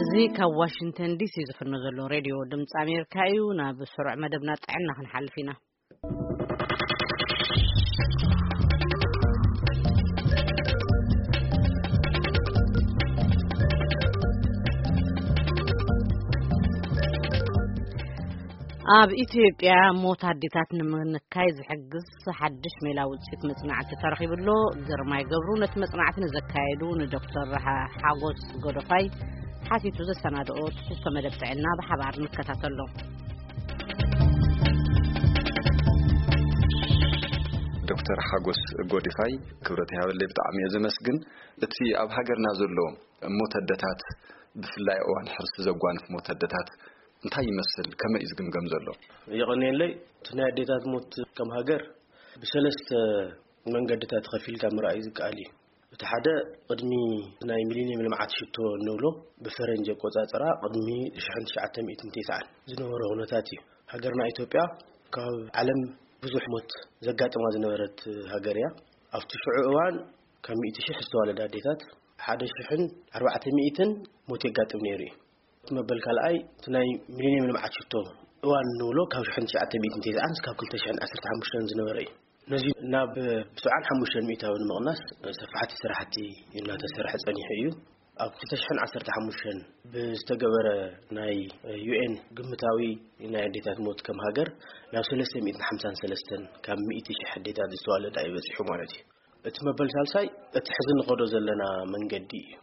እዚ ካብ ዋሽንግተን ዲሲ ዝፍኖ ዘሎ ሬድዮ ድምፂ ኣሜሪካ እዩ። ናብ ስሩዕ መደብና ጥዕና ክንሓልፍ ኢና። ኣብ ኢትዮጵያ ሞት ኣዴታት ንምንካይ ዝሕግዝ ሓድሽ ሜላ ውፅኢት መፅናዕቲ ተረኺቡ ኣሎ። ግርማይ ገብሩ ነቲ መፅናዕቲ ንዘካየዱ ንዶክተር ሓ-፣ ሓጎስ ጎደፋይ ሓቲቱ ዘሰናድኦ ትሕዝቶ መደብ ጥዕና ብሓባር ንከታተሎ። ዶክተር ሓጎስ ጎዲፋይ፣ ክብረት ይሃበለይ፣ ብጣዕሚ እየ ዘመስግን። እቲ ኣብ ሃገርና ዘሎ ሞት ኣደታት፣ ብፍላይ እዋን ሕርሲ ዘጓንፍ ሞት ኣደታት እንታይ ይመስል? ከመይ እዩ ዝግምገም ዘሎ? የቐንየለይ። እቲ ናይ ኣዴታት ሞት ከም ሃገር ብሰለስተ መንገድታት ከፊልካ ምርኣይ ዝከኣል እዩ። እቲ ሓደ፣ ቅድሚ ናይ ሚሊኒየም ልምዓት ሽቶ እንብሎ፣ ብፈረንጂ ኣቆጻጽራ ቅድሚ ሽሕን ትሽዓተ ሚእትን ተስዓን ዝነበረ ኩነታት እዩ። ሃገርና ኢትዮጵያ ካብ ዓለም ብዙሕ ሞት ዘጋጥማ ዝነበረት ሃገር እያ። ኣብቲ ሽዑ እዋን ካብ ሚእቲ ሽሕ ዝተዋለዳ ኣዴታት ሓደ ሽሕን ኣርባዕተ ሚእትን ሞት የጋጥም ነይሩ እዩ። እቲ መበል ካልኣይ፣ እቲ ናይ ሚሊኒየም ልምዓት ሽቶ እዋን እንብሎ ካብ ሽሕን ትሽዓተ ሚእትን ተስዓን እስካብ ክልተ ሽሕን ዓሰርተ ሓሙሽተን ዝነበረ እዩ። ነዚ ናብ ብስዓን ሓሙሽተን ሚእታዊ ንምቕናስ ሰፋሕቲ ስራሕቲ እናተሰርሐ ጸኒሑ እዩ። ኣብ ክልተ ሽሕን ዓሰርተ ሓሙሽተን ብዝተገበረ ናይ ዩ ኤን ግምታዊ ናይ ኣዴታት ሞት ከም ሃገር ናብ ሰለስተ ሚእትን ሓምሳን ሰለስተን ካብ ሚእቲ ሽሕ ኣዴታት ዝተዋለዳ እዩ በጺሑ ማለት እዩ። እቲ መበል ሳልሳይ፣ እቲ ሕዚ ንኸዶ ዘለና መንገዲ እዩ።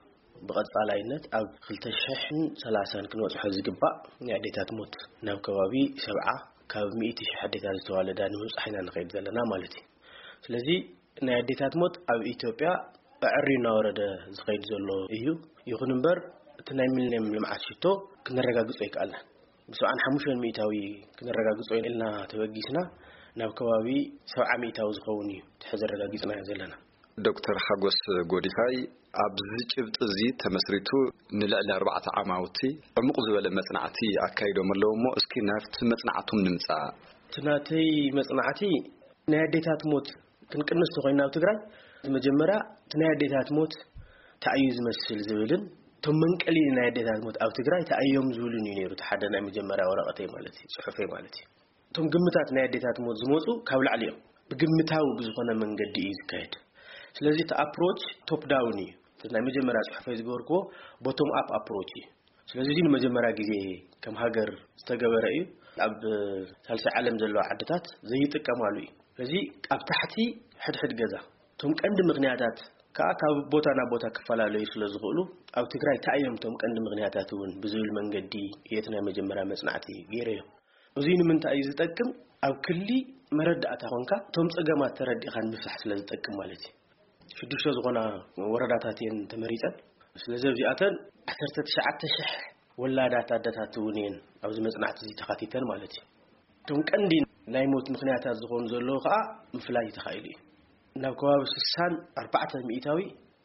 ብቐጻላይነት ኣብ ክልተ ሽሕን ሰላሳን ክንበጽሖ ዝግባእ ናይ ኣዴታት ሞት ናብ ከባቢ ሰብዓ ካብ ሚእቲ ሽሕ ኣዴታት ዝተዋለዳ ንምብጻሕ ኢና ንኸይድ ዘለና ማለት እዩ። ስለዚ ናይ ኣዴታት ሞት ኣብ ኢትዮጵያ ኣዕሪ እናወረደ ዝኸይድ ዘሎ እዩ። ይኹን እምበር እቲ ናይ ሚሊኒየም ልምዓት ሽቶ ክነረጋግጾ ኣይከኣልናን። ብሰብዓን ሓሙሽተን ሚእታዊ ክነረጋግጾ ኢልና ተበጊስና ናብ ከባቢ ሰብዓ ሚእታዊ ዝኸውን እዩ እቲ ሕዚ ኣረጋጊጽናዮ ዘለና። ዶክተር ሓጎስ ጎዲፋይ፣ ኣብዚ ጭብጢ እዚ ተመስሪቱ ንልዕሊ ኣርባዕተ ዓማውቲ ዕሙቕ ዝበለ መጽናዕቲ ኣካይዶም ኣለዉ እሞ፣ እስኪ ናብቲ መጽናዕቶም ንምጻእ። እቲ ናተይ መጽናዕቲ ናይ ኣዴታት ሞት ክንቅንስ ተኾይና ኣብ ትግራይ፣ እቲ መጀመርያ እቲ ናይ ኣዴታት ሞት እንታይ እዩ ዝመስል ዝብልን እቶም መንቀሊ ናይ ኣዴታት ሞት ኣብ ትግራይ እንታይ እዮም ዝብሉን እዩ ነይሩ። እቲ ሓደ ናይ መጀመርያ ወረቐተይ ማለት እዩ፣ ጽሑፈይ ማለት እዩ። እቶም ግምታት ናይ ኣዴታት ሞት ዝመፁ ካብ ላዕሊ እዮም። ብግምታዊ ብዝኾነ መንገዲ እዩ ዝካየድ። ስለዚ እቲ ኣፕሮች ቶፕ ዳውን እዩ። እቲ ናይ መጀመርያ ጽሑፈይ ዝገበርክዎ ቦቶም ኣፕ ኣፕሮች እዩ። ስለዚ እዚ ንመጀመርያ ግዜ ከም ሃገር ዝተገበረ እዩ። ኣብ ሳልሳይ ዓለም ዘለዋ ዓድታት ዘይጥቀማሉ እዩ። ስለዚ ኣብ ታሕቲ ሕድሕድ ገዛ እቶም ቀንዲ ምኽንያታት ከዓ ካብ ቦታ ናብ ቦታ ክፈላለዩ ስለ ዝኽእሉ፣ ኣብ ትግራይ እንታይ እዮም እቶም ቀንዲ ምኽንያታት እውን ብዝብል መንገዲ እየ እቲ ናይ መጀመርያ መጽናዕቲ ገይረዮ። እዚ ንምንታይ እዩ ዝጠቅም? ኣብ ክሊ መረዳእታ ኮንካ እቶም ጸገማት ተረዲእካ ንምፍታሕ ስለ ዝጠቅም ማለት እዩ። ሽዱሽተ ዝኾና ወረዳታት እየን ተመሪጸን። ስለዚ ኣብዚኣተን ዓሰርተ ትሽዓተ ሽሕ ወላዳት ኣደታት እውን እየን ኣብዚ መጽናዕቲ እዚ ተኻቲተን ማለት እዩ። እቶም ቀንዲ ናይ ሞት ምኽንያታት ዝኾኑ ዘለዉ ከዓ ምፍላይ ተኻኢሉ እዩ። ናብ ከባቢ ስሳን ኣርባዕተ ሚእታዊ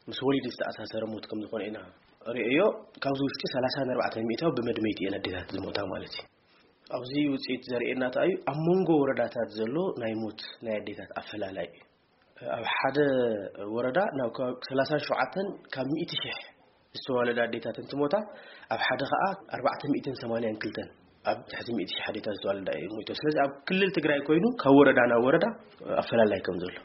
ምስ ወሊድ ዝተኣሳሰረ ሞት ከም ዝኾነ ኢና ርእዮ። ካብዚ ውሽጢ ሰላሳን ኣርባዕተን ሚእታዊ ብመድመይቲ እየን ኣዴታት ዝሞታ ማለት እዩ። ኣብዚ ውፅኢት ዘርእየና እንታይ እዩ? ኣብ መንጎ ወረዳታት ዘሎ ናይ ሞት ናይ ኣዴታት ኣፈላላይ እዩ። ኣብ ሓደ ወረዳ ናብ ከባቢ ሰላሳን ሸውዓተን ካብ ሚእቲ ሽሕ ዝተዋለዳ ኣዴታት እንትሞታ፣ ኣብ ሓደ ከዓ ኣርባዕተ ሚእትን ሰማንያን ክልተን ኣብ ትሕቲ ሚእቲ ሽሕ ኣዴታት ዝተዋለዳ እዩ ሞይቶ። ስለዚ ኣብ ክልል ትግራይ ኮይኑ ካብ ወረዳ ናብ ወረዳ ኣፈላላይ ከም ዘሎ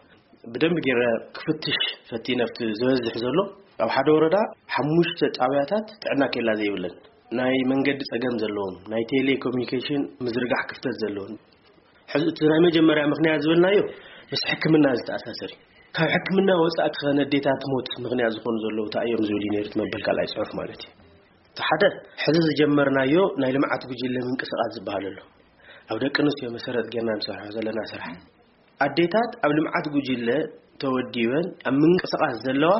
ብደንብ ገይረ ክፍትሽ ፈቲነ፣ ኣብቲ ዝበዝሕ ዘሎ ኣብ ሓደ ወረዳ ሓሙሽተ ጣብያታት ጥዕና ኬላ ዘይብለን፣ ናይ መንገዲ ጸገም ዘለዎም፣ ናይ ቴሌኮሙኒኬሽን ምዝርጋሕ ክፍተት ዘለዎም። ሕዚ እቲ ናይ መጀመርያ ምኽንያት ዝበልናዮ ምስ ሕክምና ዝተኣሳሰር እዩ። ካብ ሕክምና ወጻኢ ከ ነዴታት ሞት ምኽንያት ዝኾኑ ዘለዉ እንታይ እዮም ዝብል እዩ ነይሩ እቲ መበል ካልኣይ ጽሑፍ ማለት እዩ። እቲ ሓደ፣ ሕዚ ዝጀመርናዮ ናይ ልምዓት ጉጅለ ምንቅስቓስ ዝበሃል ኣሎ። ኣብ ደቂ ኣንስትዮ መሰረት ጌርና ንሰርሖ ዘለና ስራሕ። ኣዴታት ኣብ ልምዓት ጉጅለ ተወዲበን ኣብ ምንቅስቓስ ዘለዋ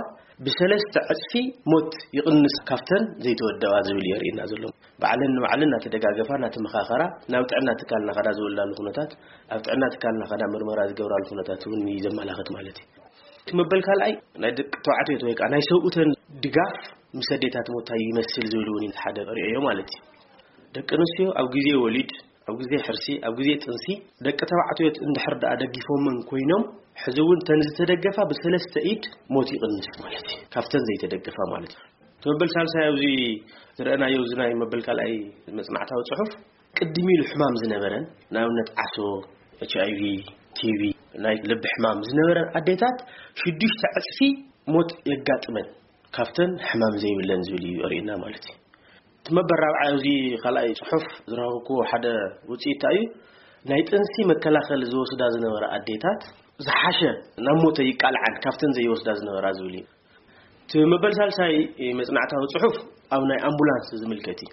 ብሰለስተ ዕጽፊ ሞት ይቕንስ ካብተን ዘይተወደባ ዝብል የርእየና ዘሎ። ባዕለን ንባዕለን እናተደጋገፋ፣ እናተመኻኸራ፣ ናብ ጥዕና ትካል እናኸዳ ዝወልዳሉ ኩነታት፣ ኣብ ጥዕና ትካል እናኸዳ ምርመራ ዝገብራሉ ኩነታት እውን እዩ ዘመላኽት ማለት እዩ። እቲ መበል ካልኣይ ናይ ደቂ ተባዕትዮ ወይ ከዓ ናይ ሰብኡተን ድጋፍ ምስ ኣዴታት ሞት እንታይ ይመስል ዝብል እውን እዩ ሓደ ርእዮ ማለት እዩ። ደቂ ኣንስትዮ ኣብ ግዜ ወሊድ፣ ኣብ ግዜ ሕርሲ፣ ኣብ ግዜ ጥንሲ ደቂ ተባዕትዮ እንድሕር ደኣ ደጊፎመን ኮይኖም፣ ሕዚ እውን ተን ዝተደገፋ ብሰለስተ ኢድ ሞት ይቕንስ ማለት እዩ። ካብተን ዘይተደገፋ ማለት እዩ። መበል ሳልሳይ ኣብዚ ዝረኣናዮ፣ እዚ ናይ መበል ካልኣይ መጽናዕታዊ ጽሑፍ፣ ቅድሚ ኢሉ ሕማም ዝነበረን፣ ንኣብነት ዓሶ፣ ኤች ኣይ ቪ፣ ቲ ቢ፣ ናይ ልቢ ሕማም ዝነበረን ኣዴታት ሽዱሽተ ዕጽፊ ሞት የጋጥመን ካብተን ሕማም ዘይብለን ዝብል እዩ የርእየና ማለት እዩ። እቲ መበል ራብዓይ ኣብዚ ካልኣይ ጽሑፍ ዝረኸብኩዎ ሓደ ውጽኢት እንታይ እዩ? ናይ ጥንሲ መከላኸሊ ዝወስዳ ዝነበራ ኣዴታት ዝሓሸ ናብ ሞተ ይቃልዓን ካብተን ዘይወስዳ ዝነበራ ዝብል እዩ። እቲ መበል ሳልሳይ መጽናዕታዊ ጽሑፍ ኣብ ናይ ኣምቡላንስ ዝምልከት እዩ።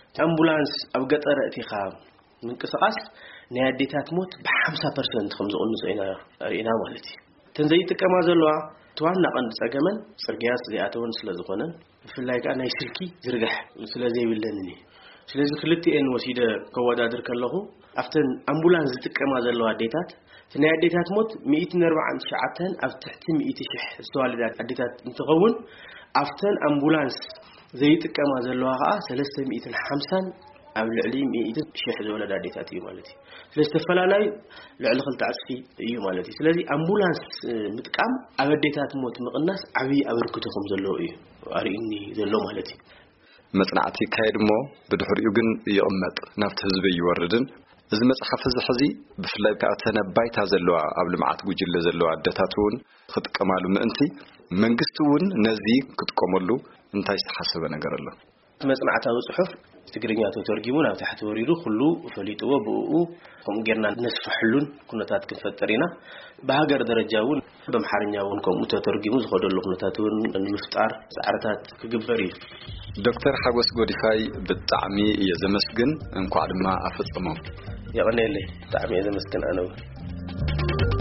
እቲ ኣምቡላንስ ኣብ ገጠር ኣእቲኻ ምንቅስቓስ ናይ ኣዴታት ሞት ብ50% ከም ዝቕንሶ ኢና ርኢና ማለት እዩ። እተን ዘይጥቀማ ዘለዋ እቲ ዋና ቀንዲ ጸገመን ጽርግያስ ዘይኣተወን ስለ ዝኾነን፣ ብፍላይ ከኣ ናይ ስልኪ ዝርጋሕ ስለ ዘይብለንን እዩ። ስለዚ ክልቲኤን ወሲደ ከወዳድር ከለኹ፣ ኣብተን ኣምቡላንስ ዝጥቀማ ዘለዋ ኣዴታት፣ እቲ ናይ ኣዴታት ሞት ሚእትን ኣርባዓን ትሽዓተን ኣብ ትሕቲ ሚእቲ ሽሕ ዝተዋለዳ ኣዴታት እንትኸውን፣ ኣብተን ኣምቡላንስ ዘይጥቀማ ዘለዋ ከኣ ሰለስተ ሚእትን ሓምሳን ኣብ ልዕሊ ሚእቲ ሽሕ ዝወለዳ ኣዴታት እዩ ማለት እዩ። ስለዚ ተፈላላዩ ልዕሊ ክልተ ዕጽፊ እዩ ማለት እዩ። ስለዚ ኣምቡላንስ፣ እ፣ ምጥቃም ኣብ ኣዴታት ሞት ምቕናስ ዓብዪ ኣበርክቶ ከም ዘለዎ እዩ ኣርእዩኒ ዘሎ ማለት እዩ። መጽናዕቲ ይካየድ እሞ ብድሕሪኡ ግን ይቕመጥ፣ ናብቲ ህዝቢ ይወርድን። እዚ መጽሓፍ እዚ ሕዚ ብፍላይ ከኣ እተን ኣብ ባይታ ዘለዋ ኣብ ልምዓት ጉጅለ ዘለዋ ኣደታት እውን ክጥቀማሉ ምእንቲ መንግስቲ እውን ነዚ ክጥቀመሉ እንታይ ዝተሓሰበ ነገር ኣሎ? እቲ መጽናዕታዊ ጽሑፍ ትግርኛ ተተርጊሙ ናብ ታሕቲ ወሪዱ ኩሉ ፈሊጥዎ ብእኡ ከምኡ ጌርና ነስፍሐሉን ኩነታት ክንፈጥር ኢና። ብሃገር ደረጃ እውን ብኣምሓርኛ እውን ከምኡ ተተርጊሙ ዝኸደሉ ኩነታት እውን ንምፍጣር ጻዕርታት ክግበር እዩ። ዶክተር ሓጎስ ጎዲፋይ፣ ብጣዕሚ እየ ዘመስግን፣ እንኳዕ ድማ ኣፈጸሞም። የቐንየለይ፣ ብጣዕሚ እየ ዘመስግን ኣነ እውን።